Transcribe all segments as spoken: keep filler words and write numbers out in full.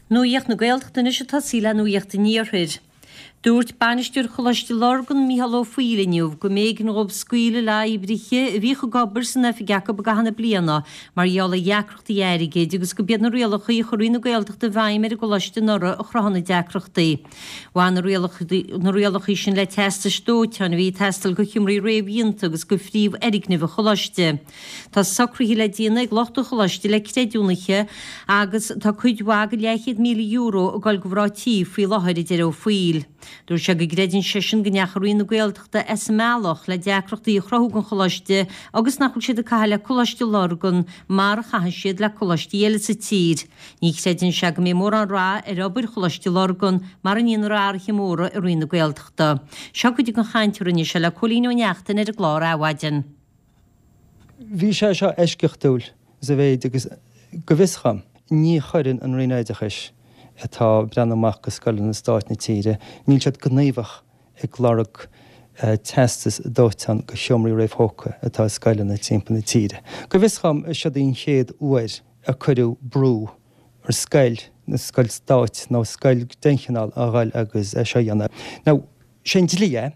Nuacht na Gaeltachta anois ag tosaí le Nuacht an Iarthair. Dúirt bainisteoir Choláiste Lurgan Mícheál Ó Foighil inniu go mb'éigean dhóibh scaoileadh le oibrithe a bhíodh ag obair san oifig acu i gcaitheamh na bliana mar gheall ar dheacrachtaí airgid agus go b'iad na rialacha a chuir Roinn na Gaeltachta i bhfeidhm ar an gcoláiste anuraidh a chruthaigh na deacrachtaí. Bhain na rialacha na rialacha sin le teastais dóiteáin a bhí ag teastáil do sheomraí réamhdhéanta agus do phríomhfhoirgnimh an choláiste. Tá socruithe le déanamh ag lucht an choláiste le creidiúnaithe agus tá cuid mhaith de leathchéad míle euro ag dul do mhná tí faoi láthair, a deir Ó Foighil. Dúirt sé go gcreideann seisean go ndeachaigh Roinn na Gaeltachta as an mbealach le deacrachtaí a chruthú don choláiste agus nach bhfuil siad ag caitheamh le Coláiste Lurgan mar a chaitheann siad le coláistí eile sa tír. Ní chreideann sé go mbeidh mórán rath ar obair Choláiste Lurgan mara ndéanfar athruithe móra i Roinn na Gaeltachta. Seo cuid den chaint a rinne sé le Cóilín Ó Neachtain ar an gclár Adhmhaidin. Bhí sé seo eisceachtúil sa mhéid agus go bhfios dhom, ní chuireann an Roinn Oideachais atá ag breathnú amach do scoileanna stáit na tíre, níl siad gníomhach ag lorg teastas dóiteáin do sheomraí réamhthógtha atá i scoileanna timpeall na tíre. Go bhfios dhom, siod í an chéad uair a cuireadh brú ar scoil, nó scoil stáit nó scoil den chineál a dhul agus é seo a dhéanamh. Now, sé an dlí é.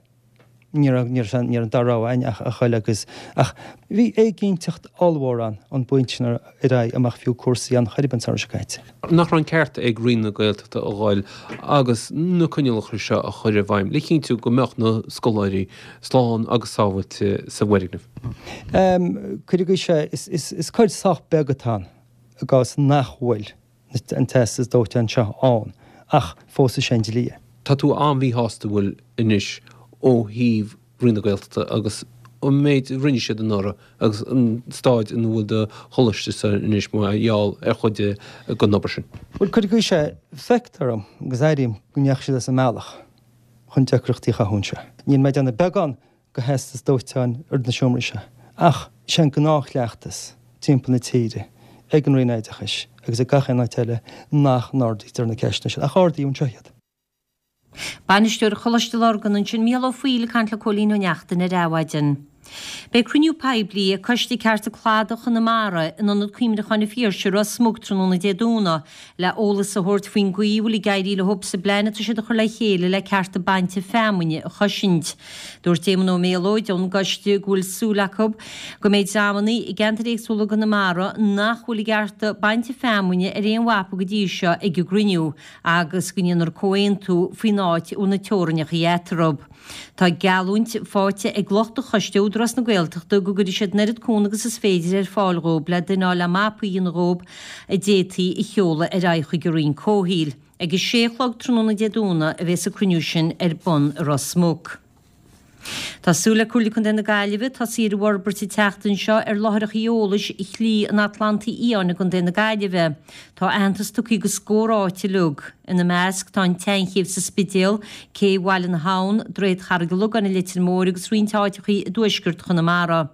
Ní raibh ní raibh ní raibh an dara rogha againn ach a dhul agus ach bhí éiginnteacht ollmhór ann ón bpointe sin ar aghaidh amach fiú cúrsaí an chor ar bith an samhradh seo caite. Nach raibh an ceart ag Roinn na Gaeltachta a dhul agus na coinníollacha seo a chur i bhfeidhm le cinntiú go mbeadh na scoláirí slán agus sábháilte sa bhfoirgneamh? Cuirfidh sé is is is cuid sách beag atá ann i gcás nach bhfuil an teastas dóiteáin seo ann ach fós is é an dlí é. Tá tú an-mhíshásta bhfuil anois ó thaobh Roinn na Gaeltachta agus an méid a rinne siad anuraidh agus an staid ina bhfuil do choláiste anois mar gheall ar chuid den obair sin. Bhuel, cuirfidh sé, feictear dom agus airím go ndeachaigh siad as an mbealach chun deacrachtaí a chruthú anseo. Níl mé ag déanamh beagán de theastas dóiteáin ar na seomraí seo ach sé an gnáthchleachtas timpeall na tíre ag an Roinn Oideachais agus ag gach aon áit eile nach n-ardaítear na ceisteanna sin, ach ardaíodh anseo iad. Bainisteoir Choláiste Lurgan ansin Mícheál Ó Foighil ag caint le Cóilín Ó Neachtain ar Adhmhaidin. Beidh cruinniú poiblí ag Coiste Cearta Cladaigh Chonamara in Ionad Cuimhneacháin an Phiarsaigh i Ros Muc tráthnóna Dé Domhnaigh le eolas a thabhairt faoin gcaoi a bhfuil ag éirí leo sa bplean atá siad a chur le chéile le cearta bainte feamainne a chosaint. Dúirt Éamon Ó Méalóid ón gcoiste go bhfuil súil acu go mbeidh dreamanna i gceantair éagsúla i gConamara nach bhfuil a gcearta bainte feamainne ar aon mhapa go dtí seo ag an gcruinniú agus go ndéanfar comhaontú faoin áit a bhfuil na teorainneacha eatarthu. Tá geallúint faighte ag lucht an choiste ó Údarás na Gaeltachta go gcuirfidh siad an oiread cúnamh agus is féidir ar fáil dhóibh le duine le mapaí a dhéanamh dhóibh a d'fhéadfaí a sheoladh ar aghaidh chuig an Roinn Comhshaoil. Ag a sé a chlog tráthnóna Dé Domhnaigh a bheas an cruinniú sin ar bun i Ros Muc. Tá súil le Comhairle Contae na Gaillimhe tosaí ar an bhforbairt an tseachtain seo ar láithreacha eolais Shlí an Atlantaigh Fhiáin i gContae na Gaillimhe. Tá aitheantas tugtha do scór áit uilig. Ina measc tá an tSeanchéibh sa Spidéal, Cé Bhaile na hAbhann, Droichead Charraig an Logáin i Leitir Móir agus roinnt áiteacha i dtuaisceart Chonamara.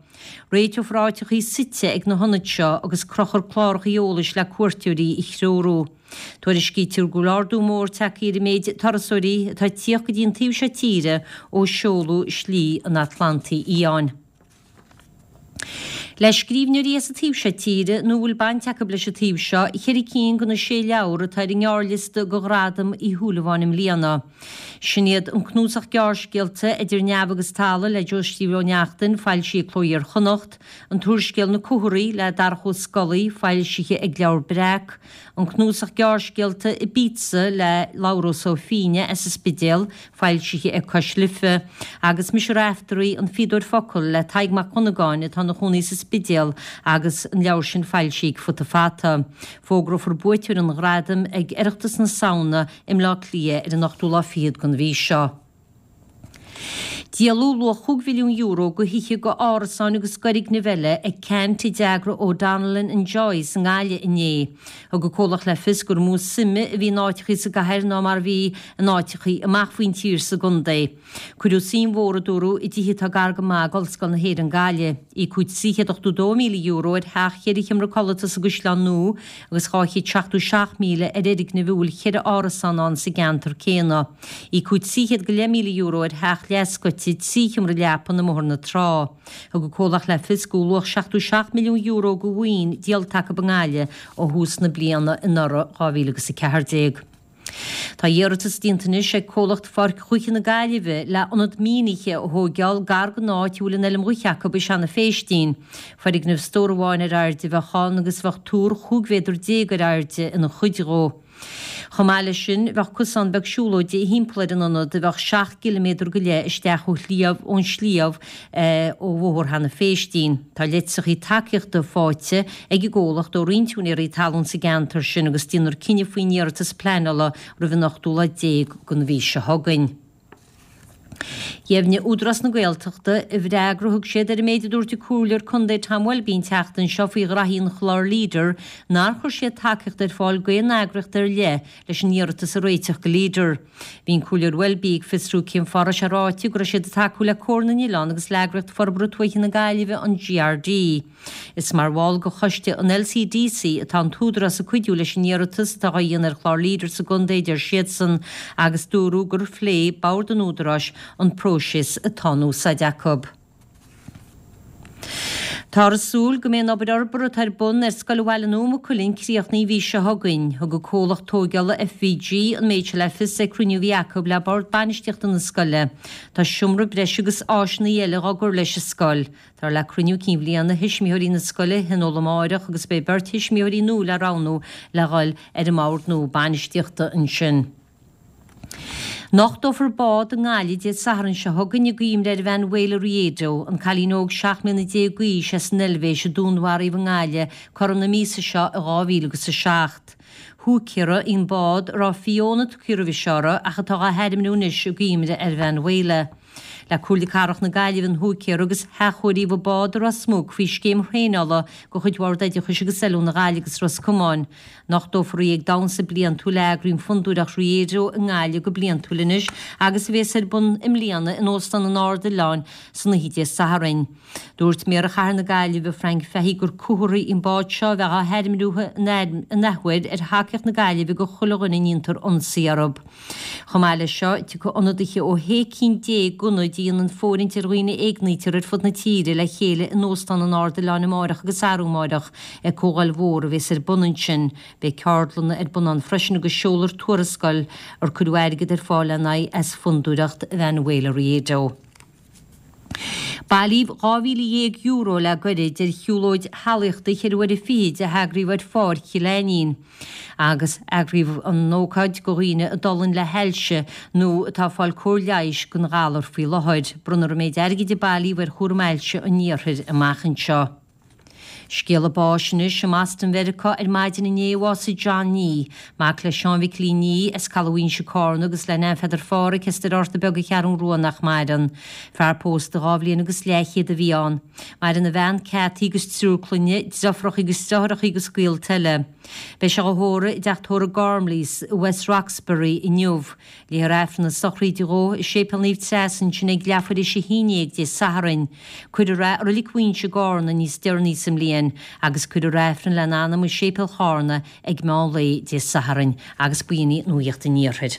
Réiteofar áiteacha suite ag na hionaid seo agus crochfar cláracha eolais le cuairteoirí a threorú. Tuairiscítear go bhfuil ardú mór tagtha ar an méid turasóirí atá ag tíocht go dtí an taobh seo tíre ó seoladh Slí an Atlantaigh Fhiáin. Le scríbhneoirí as an taobh seo tíre nó a bhfuil baint acu leis an taobh seo, ceithre cinn de na sé leabhar atá ar an ngearrliosta do Ghradam Uí Shúilleabháin i mbliana. Sin iad an cnuasach gearrscéalta Idir Neamh agus Talamh le Joe Steve Ó Neachtain, foilsithe ag Cló Iar-Chonnacht, an t-úrscéal Na Cumhraigh le Darach Ó Scolaí, foilsithe ag Leabhar Breac, an cnuasach gearrscéalta Ibiza le Labhrás Ó Feinneadha as an Spidéal, foilsithe ag Cois Life, agus Mise Raiftearaí, An Fíodóir Focal le Tadhg Mac Dhonnagáin atá ina chónaí sa Spidéal agus an leabhar sin foilsithe ag Futa Fata. Fógrófar buaiteoir an ghradaim ag Oireachtas na Samhna i mBleá Cliath ar an ochtú lá fichead den mhí seo. Díoladh luach chúig mhilliún euro de thithe, d'árasáin agus d'fhoirgnimh eile ag Ceannt a d'eagraigh O'Donnellan and Joyce i nGaillimh inné. Thug an comhlacht le fios gur mó suime a bhí in áiteachaí sa gcathair ná mar a bhí in áiteachaí amach faoin tír sa gcontae. Cuireadh suim mhór, a dúradh, i dtithe atá gar go maith d'Ollscoil na hÉireann Gaillimh. Íocadh trí chéad ochtó dó míle euro ar theach cheithre sheomra codlata sa gCaisleán Nua agus dhá chéad seachtó seacht míle ar fhoirgneamh a bhfuil cheithre árasán ann sa gceantar céanna. Íocadh trí chéad go leith míle euro ar theach leathscoite áite trí sheomra leapan i mBóthar na Trá. Thug an comhlacht le fios go bhfuil luach seachtó seacht milliún euro de mhaoin díolta acu i nGaillimh ó thús na bliana anuraidh, dhá mhíle agus a ceathair déag. Tá iarratas déanta anois ag comhlacht Pháirc Dhúiche na Gaillimhe le ionad mionoíche a thóigeáil gar don áit a bhfuil an fheilm dhúiche acu i Seanadh Phéistín. Foirgneamh stór amháin ar airde a bheadh ann agus bheadh túr chúig mhéadar déag ar airde ina chuid dhó. Chomh maith leis sin, bheadh cosán beag siúlóide thimpeall ar an ionad a bheadh seacht gciliméadar go leith isteach ó shliabh ón sliabh ó Bhóthar Sheanadh Phéistín. Tá litreacha tacaíochta faighte ag an gcomhlacht ó roinnt úinéirí talún sa gceantar sin agus déanfar cinneadh faoin iarratas pleanála roimh an ochtú lá déag den mhí seo chugainn. Dheimhnigh Údarás na Gaeltachta, i bhfreagra a thug siad ar an méid a dúirt an Comhairleoir Contae Tom Welby an tseachtain seo faoi ghraithí an chláir Leader, nár chuir siad tacaíocht ar fáil d'aon eagraíocht ar leith leis an iarratas a réiteach go Leader. Bhí an Comhairleoir Welby ag fiosrú cén fáth a raibh sé ráite go raibh siad ag tacú le Comhar na nOileán agus le Eagraíocht Forbartha Tuaithe na Gaillimhe, an GRD. Is mar bhall de choiste an LCDC atá an tÚdarás ag cuidiú leis an iarratas atá á dhéanamh ar chlár Leader sa gcontae, a deir siadsan, agus dúradh gur phléigh Bord an Údaráis an próiseas atá in úsáid acu. Táthar ag súil go mbeidh an obair fhorbartha atá ar bun ar Scoil Bhaile Nua Maigh Cuilinn críochnaithe an mhí seo chugainn. Thug an comhlacht tóigeála FVG an méid seo le fios ag cruinniú a bhí acu le Bord Bainistíochta na scoile. Tá seomra breise agus áiseanna eile dhá gcur leis an scoil. Táthar le cruinniú cinn bhliana thuismitheoirí na scoile a thionól amáireach agus beidh beirt thuismitheoirí nua le roghnú le dhul ar an mbord nua bainistíochta ansin. Nochtófar bád i nGaillimh Dé Sathairn seo chugainn i gcuimhne ar Mhanuela Riedo, an cailín óg seacht mbliana déag d'aois as an Eilvéis a dúnmharaíodh i nGaillimh cothrom na míosa seo i dhá mhíle agus a seacht. Húicéara í an bád a raibh Fiona tugtha roimhe seo uirthi ach atá á hainmniú anois i gcuimhne ar Mhanuela. Le Comhairle Cathrach na Gaillimhe an húicéara agus hathchóiríodh an bád i Ros Muc faoi scéim thraenála de chuid Bhord Oideachais agus Oiliúna Ghaillimh agus Ros Comáin. Nochtófar í ag damhsa bliantúil a eagraíonn Fondúireacht Riedo i nGaillimh go bliantúil anois agus a bhéas ar bun i mbliana in Óstán an Ard Oileáin san oíche Dé Sathairn. Dúirt Méara Chathair na Gaillimhe, Frank Fahey gur comhartha í an bád seo a bheadh á hainmniú in athuair ar thacaíocht na Gaillimhe do chuile dhuine a ndéantar ionsaí orthu. Chomh maith leis seo, tiocfaidh ionadaithe ó shé cinn déag d'ionaid a dhéanann fóirithint ar dhaoine a éignítear ar fud na tíre le chéile in Óstán an Ard Oileáin amáireach agus arú amáireach ag comhdháil mhór a bhéas ar bun ansin. Beidh ceardlanna ar bun ann freisin agus seolfar tuarascáil ar cuireadh airgead ar fáil lena aghaidh as Fondúireacht Mhanuela Riedo. Bailíodh dhá mhíle dhéag euro le gairid ar shiúlóid shealaíochta cheithre uaire fichid a heagraíodh ar Pháirc Chill Ainnín agus eagraíodh an ócáid do dhaoine a d'fhulaing le hailse nó atá ag fáil cóir leighis don ghalar faoi láthair. Bronnfar an méid airgid a bailíodh ar chúram ailse an iarthair amach anseo. Scéala báis anois i mBoston Mheiriceá ar maidin inné a bhásaigh John Nee, mac le Seán Mhicilín Nee as Caladh Mhaínse Cárna agus le Nan Pheadair Phádhraic as Doire Fhatharta Beag an Cheathrún Rua nach maireann. Fear pósta dhá bhliain agus leathchéad a bhí ann. Maireann a bhean Cathy agus triúr clainne, deirfiúracha agus deartháireacha agus gaolta eile. Beidh sé á thórramh i dteach tórraimh Gormleys i West Roxbury inniu. Léifear Aifreann na sochraide dhó i Séipéal Naomh Treasa ansin ag leathuair théis a haon déag Dé Sathairn. Cuirfear é i Reilig Mhaínse i gCárna níos deireanaí sa mbliain agus cuirfear Aifreann lena anam i Séipéal Chárna ag meán lae Dé Sathairn agus b'in í Nuacht an Iarthair.